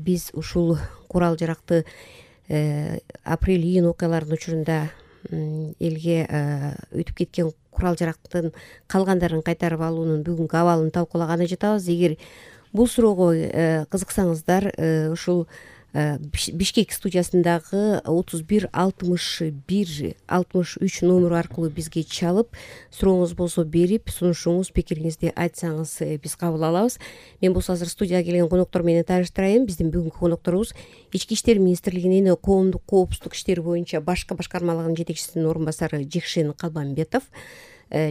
биз ушул курал жаракты апрель-июнь окуяларынын учурунда элге өтүп кеткен курал жарактын калгандарын кайтарып алуунун бүгүнкү абалын талкуулаганы жатабыз. Эгер бул суроого кызыксаңыздар, ушул Бишкек студиясындагы 31-61-63 номеру аркылуу бизге чалып, сурооңуз болсо берип, сунушуңуз, пикириңизди айтсаңыз биз кабыл алабыз. Мен болсо азыр студияга келген коноктор менен тааныштырайын. Биздин бүгүнкү конокторубуз Ички иштер министрлигинин коомдук коопсуздук иштери боюнча башкы башкармалыгынын жетекчисинин орун басары Жекшен Калбамбетов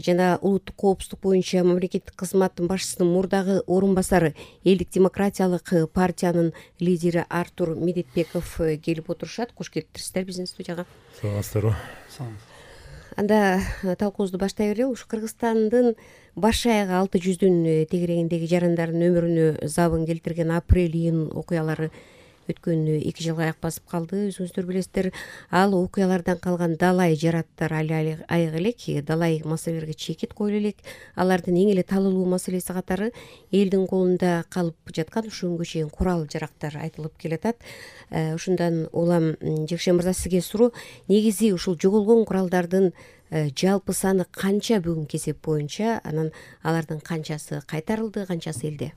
жана улуттук коопсуздук боюнча мамлекеттик кызматтын башчысынын мурдагы орун басары Элдик демократиялык партиянын лидери Артур Медетбеков келип отурушат. Кош келиптирсиздер биздин студияга. Саламатсыздарбы? Анда талкуубузду баштай берели. Ушу Кыргызстандын баш аягы 600 тегерегиндеги жарандардын өмүрүнө забын келтирген апрель-июнь окуялары өткөн 2 жылга аяк басып калды. Өзүңүздөр билесиздер, ал окуялардан калган далай жараттар али айык элек, далай маселелерге чекит коюлу элек. Алардын эң эле талуулуу маселеси катары элдин колунда калып жаткан ушу күнгө чейин курал жарактар айтылып келатат. Ушундан улам Жекшен мырза, сизге суроо. Негизи ушул жоголгон куралдардын жалпы саны канча бүгүнкү эсеп боюнча, анан алардын канчасы кайтарылды, канчасы элде?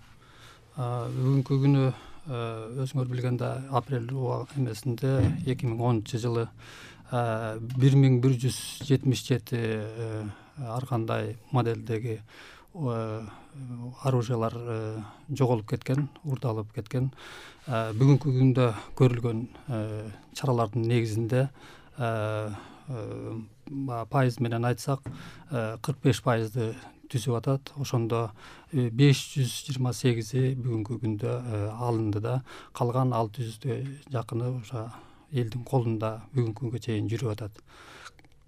Бүгүнкү күнү өзүңөр билгендей апрель эмесинде 2010-жылы 1177 ар кандай моделдеги оружиялар жоголуп кеткен, урдалып кеткен. Бүгүнкү күндө көрүлгөн чаралардын негизинде пайыз менен айтсак 45% түзүп атат. Ошондо 528 бүгүнкү күндө алынды да, калган 600 жакыны ошо элдин колунда бүгүнкү күнгө чейин жүрүп атат.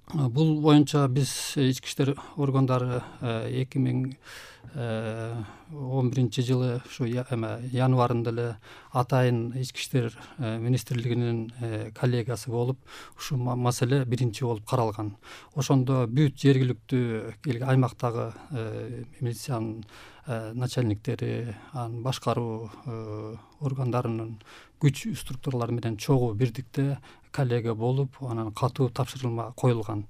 Бул боюнча биз ички иштер органдары 2011-жылы ушу январында эле атайын ички иштер министрлигинин коллегиясы болуп, ушул маселе биринчи болуп каралган. Ошондо бүт жергиликтүү аймактагы милициянын начальниктери, анын башкаруу органдарынын күч структуралары менен чогуу бирдикте коллегия болуп, анан катуу тапшырма коюлган.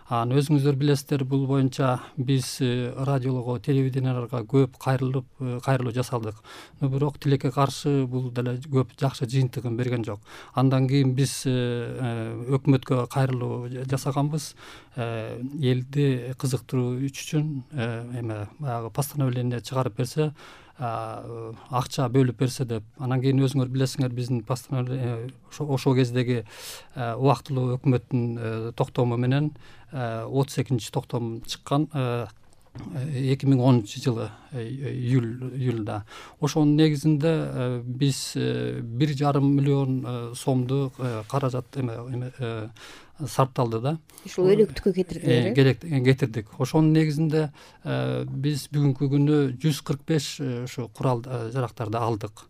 Анан өзүңүздөр билесиздер, бул боюнча биз радиолого, телевиденияларга көп кайрылуу жасадык. Бирок тилекке каршы бул деле көп жакшы жыйынтыгын берген жок. Андан кийин биз өкмөткө кайрылуу жасаганбыз. Элди кызыктыруу үчүн баягы постановление чыгарып берсе, акча бөлүп берсе деп. Анан кийин өзүңөр билесиңер, биздин постановление ошол кездеги убактылуу өкмөттүн токтому менен 32-токтом чыккан 2010-жылы июлда. Ошонун негизинде биз 1,5 миллион сомду каражат сарпталды да. Ушул өлөктүккө кетирдик. Ошонун негизинде биз бүгүнкү күнү 145 ушу курал жарактарды алдык.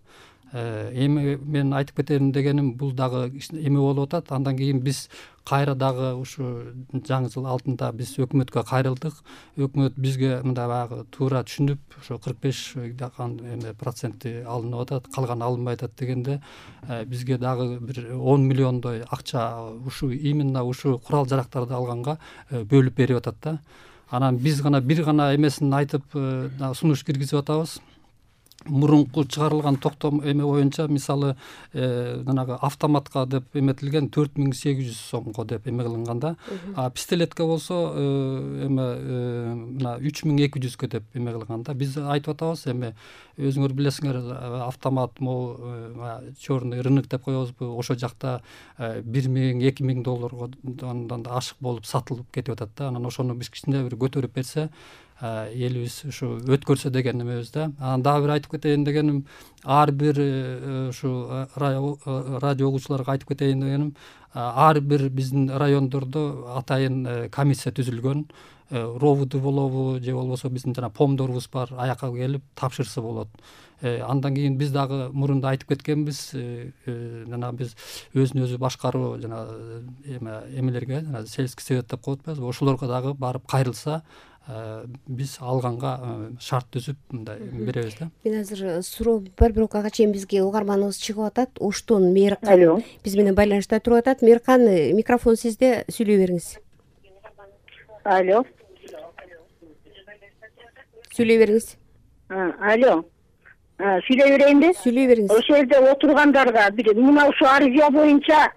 Эми мен айтып кетейин дегеним, бул дагы эме болуп атат. Андан кийин биз кайра дагы ушу жаңы жыл алдында биз өкмөткө кайрылдык. Өкмөт бизге мындай баягы туура түшүнүп, ошо 45% алынып атат, калганы алынбай атат дегенде, бизге дагы бир 10 миллиондой акча ушу именно ушу курал жарактарды алганга бөлүп берип атат да. Анан биз бир гана эмесин айтып сунуш киргизип атабыз. Мурунку чыгарылган токтом эме боюнча, мисалы, жанагы автоматка деп эметилген 4800 сомго деп эме кылынганда, пистолетке болсо мына 3200 деп эме кылганда, биз айтып атабыз, эми өзүңөр билесиңер, автомат черный рынок деп коебузбу, ошол жакта $1000-2000 да ашык болуп сатылып кетип атат да. Анан ошону биз кичине бир көтөрүп берсе, элибиз ушу өткөрсө деген эмебиз да. Анан дагы бир айтып кетейин дегеним, ар бир ушу радио угуучуларга айтып кетейин дегеним, ар бир биздин райондордо атайын комиссия түзүлгөн. Ровуду болобу же болбосо биздин жана помдорубуз бар, аяка келип тапшырса болот. Андан кийин биз дагы мурунда айтып кеткенбиз, жана биз өзүн өзү башкаруу жана эмелерге, жана сельский совет деп коет атпайбызбы, ошолорго дагы барып кайрылса, биз алганга шарт түзүп мындай беребиз да. Мен азыр суроо бар, бирок ага чейин бизге угарманыбыз чыгып атат. Оштон Мээркан биз менен байланышта туруп атат. Мээркан, микрофон сизде, сүйлөй бериңиз. Алло. Сүйлөй бериңиз. Алло. Сүйлөй берейинби? Сүйлөй бериңиз. Ошол жерде отургандарга бир мына ушул арызя боюнча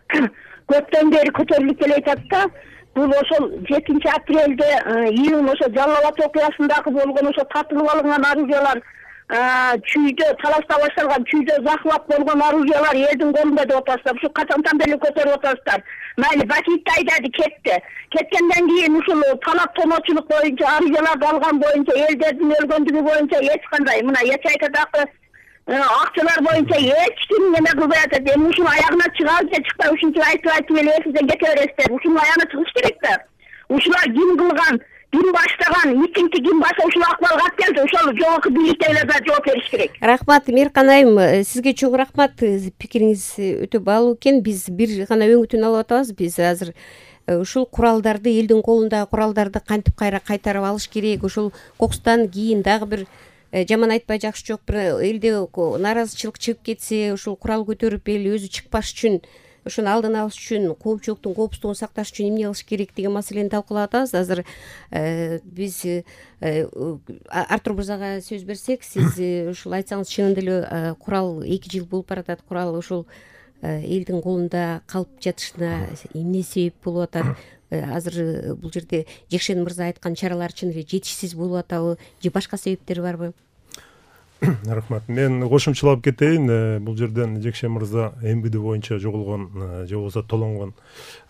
көптөн бери көтөрүлүп келе жатат да. Бул ошол 7 апрелде июнь ошо Жалал Абад окуясындагы болгон ошо тартылып алынган арызялар, чүйдө талашта башталган, чүйдө захват болгон арызялар элдин колунда деп атасыздар. Ушу качандан бери көтөрүп атасыздар. Майли Бакитти айдады, кетти. Кеткенден кийин ушул талап тоночулук боюнча арызяларды алган боюнча, элдердин өлгөндүгү боюнча эч кандай мына Ячайкадагы акчалар боюнча эч ким неме кылбай атат. Эми ушунун аягына чыгабы же чыкпай, ушунча айтып эле сизден кете бересиздер. Ушунун аягына чыгыш керек да. Ушулар ким кылган, ким баштаган, митингди ким башта ушул акыбалга алып келди, ошол жогорку бийликтегилер да жооп бериш керек. Рахмат Мээркан айым, сизге чоң рахмат. Пикириңиз өтө баалуу экен. Биз бир гана өңүтүн алып атабыз. Биз азыр ушул куралдарды, элдин колундагы куралдарды кантип кайтарып алыш керек, ушул кокустан кийин дагы бир жаман айтпай жакшы жок, бир элде нааразычылык чыгып кетсе, ушул курал көтөрүп эл өзү чыкпаш үчүн, ошону алдын алыш үчүн, коомчулуктун коопсуздугун сакташ үчүн эмне кылыш керек деген маселени талкуулап атабыз. Азыр биз Артур мырзага сөз берсек, сиз ушул айтсаңыз, чынында эле курал 2 жыл болуп баратат. Курал ушул элдин колунда калып жатышына эмне себеп болуп атат? Азыр бул жерде Жекшен мырза айткан чаралар чын эле жетишсиз болуп атабы же башка себептери барбы? Рахмат. Мен кошумчалап кетейин. Бул жерден Жекшен мырза МВД боюнча жоголгон же болбосо толонгон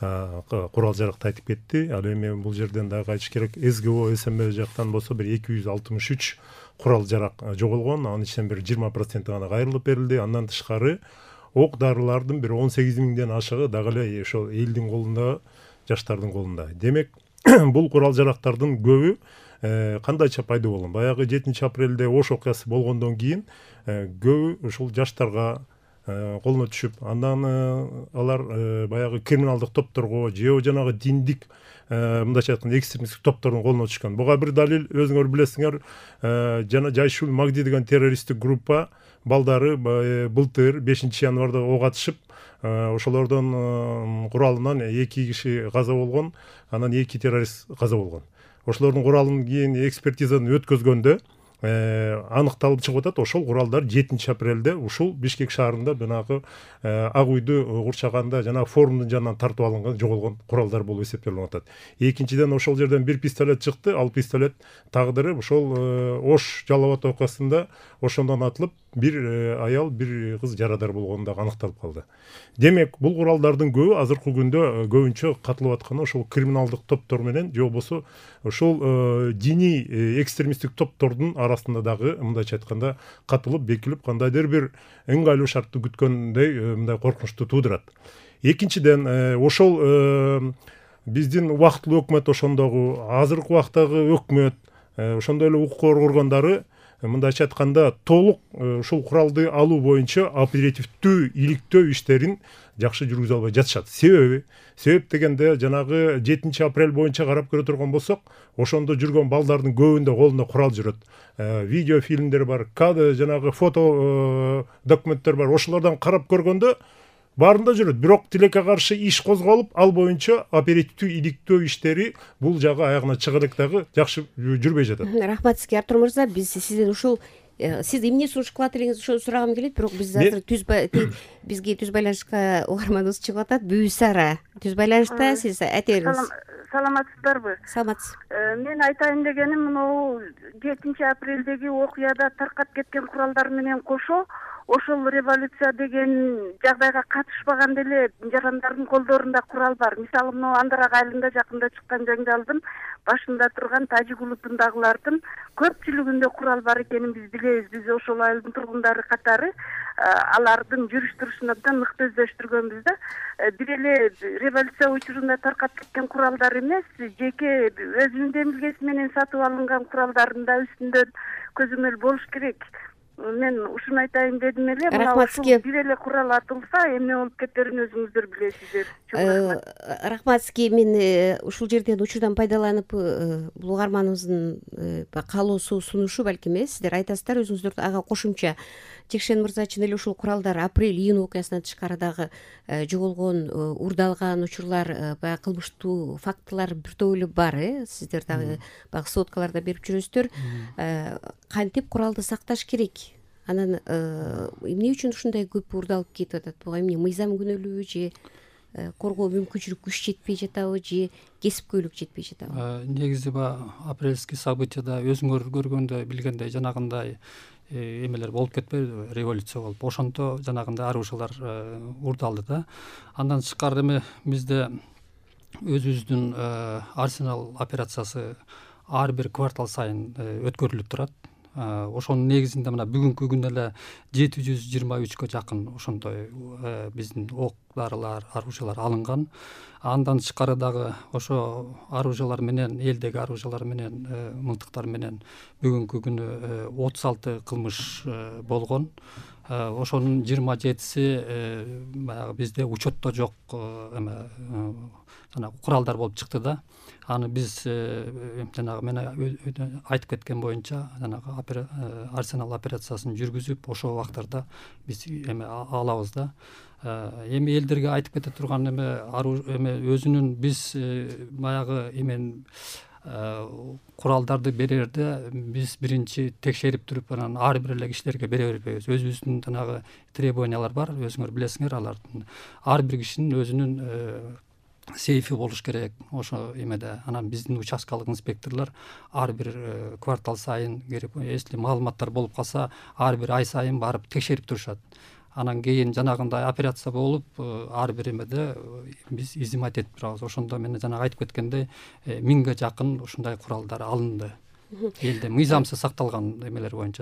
курал жаракты айтып кетти. Ал эми бул жерден дагы айтыш керек, СГО СМБ жактан болсо бир 263 курал жарак жоголгон. Анын ичинен бир 20% гана кайрылып берилди. Андан тышкары ок дарылардын бир 18 миңден ашыгы дагы эле ошол элдин колунда, жаштардын колунда. Демек, бул курал жарактардын көбү кандайча пайда болгон? Баягы 7 апрелде Ош окуясы болгондон кийин көбү ушул жаштарга колуна түшүп, андан алар баягы криминалдык топторго же жанагы диндик мындайча айтканда экстремисттик топтордун колуна түшкөн. Буга бир далил, өзүңөр билесиңер, жана Жайшул Магди деген террористтик группа балдары былтыр 5 январда ок атышып, ошолордун куралынан 2 киши каза болгон, анан 2 террорист каза болгон. Ошолордун куралын кийин экспертизадан өткөзгөндө аныкталып чыгып атат, ошол куралдар 7 апрелде ушул Бишкек шаарында жанагы Ак үйдү курчаганда жана форумдун жанынан тартып алынган жоголгон куралдар болуп эсептелип атат. Экинчиден, ошол жерден бир пистолет чыкты. Ал пистолет тагдыры ошол Ош Жалал Абад окуясында ошондон атылып, бир аял, бир кыз жарадар болгону дагы аныкталып калды. Демек, бул куралдардын көбү азыркы күндө көбүнчө катылып атканы ошол криминалдык топтор менен же болбосо ошол диний экстремисттик топтордун арасында дагы мындайча айтканда катылып, бекилип, кандайдыр бир ыңгайлуу шартты күткөндөй мындай коркунучту туудурат. Экинчиден, ошол биздин убактылуу өкмөт, ошондогу азыркы убактагы өкмөт, ошондой эле укук коргондору мындайча айтканда толук ушул куралды алуу боюнча оперативдүү иликтөө иштерин жакшы жүргүзө албай жатышат. Себеп дегенде, жанагы 7 апрель боюнча карап көрө турган болсок, ошондо жүргөн балдардын көбүндө колунда курал жүрөт. Видео фильмдер бар, жанагы фото документтер бар. Ошолордон карап көргөндө баарында жүрөт. Бирок тилекке каршы иш козголуп, ал боюнча оперативдүү иликтөө иштери бул жагы аягына чыга элек дагы жакшы жүрбөй жатат. Рахмат сизге, Артур мырза. Биз сизден ушул сиз эмне сунуш кылат элеңиз, ошону сурагым келет. Бирок биз азыр бизге түз байланышка угарманыбыз чыгып атат. Бүүсара түз байланышта, сиз айта бериңиз. Саламатсыздарбы? Саламатсыз. Мен айтайын дегеним, мынау 7 апрелдеги окуяда таркап кеткен куралдар менен кошо ошол революция деген жагдайга катышпаган деле жарандардын колдорунда курал бар. Мисалы, мына Андарак айылында жакында чыккан жаңжалдын башында турган тажик улутундагылардын көпчүлүгүндө курал бар экенин биз билебиз. Биз ошол айылдын тургундары катары алардын жүрүш турушун абдан мыкты өздөштүргөнбүз да. Бир эле революция учурунда таркап кеткен куралдар эмес, жеке өзүнүн демилгеси менен сатып алынган куралдардын да үстүндө көзөмөл болуш керек. мен ушуну айтайын дедим эле. Рахмат сизге. Бир эле курал атылса эмне болуп кетерин өзүңүздөр билесиздер. Чоң рахмат. Рахмат сизге. Мен ушул жерден учурдан пайдаланып бул угарманыбыздын каалоосу сунушу балким сиздер айтасыздар өзүңүздөр ага кошумча. Жекшен мырза чын эле ушул куралдар апрель-июнь окуясынан тышкары дагы жоголгон, уурдалган учурлар, баягы кылмыштуу фактылар бир топ эле бар. Сиздер дагы баягы сводкаларда берип жүрөсүздөр. Кантип куралды сакташ керек? Анан эмне үчүн ушундай көп уурдалып кетип атат? Буга эмне мыйзам күнөөлүүбү же коргоо мүмкүнчүлүк күч жетпей жатабы же кесипкөйлүк жетпей жатабы? Негизи баягы апрельский событияда өзүңөр көргөндөй билгендей жанагындай эмелер болуп кетпейби, революция болуп ошондо жанагындай оружиялар уурдалды да. Андан тышкары эми бизде өзүбүздүн арсенал операциясы ар бир квартал сайын өткөрүлүп турат. Ошонун негизинде мына бүгүнкү күндө эле 723 жакын ошондой биздин ок дарылар, оружиялар алынган. Андан тышкары дагы ошо оружиялар менен, элдеги оружиялар менен, мылтыктар менен бүгүнкү күнү 36 кылмыш болгон. Ошонун 27си баягы бизде учетто жок эме жанагы куралдар болуп чыкты да. Аны биз жанагы мен айтып кеткен боюнча жанагы арсенал операциясын жүргүзүп ошол убактарда биз эме алабыз да. Эми элдерге айтып кете турган эме өзүнүн биз баягы эмен куралдарды берерде биз биринчи текшерип туруп анан ар бир эле кишилерге бере бербейбиз. Өзүбүздүн жанагы требованиялар бар, өзүңөр билесиңер алардын. Ар бир кишинин өзүнүн сейфи болуш керек ошо эмеде. Анан биздин участкалык инспекторлор ар бир квартал сайын келип, если маалыматтар болуп калса, ар бир ай сайын барып текшерип турушат. Анан кийин жанагындай операция болуп, ар бир эмеде биз изимать этип турабыз. Ошондо мен жанагы айтып кеткендей 1000ге жакын ушундай куралдар алынды. Элде мыйзамсыз сакталган эмелер боюнча.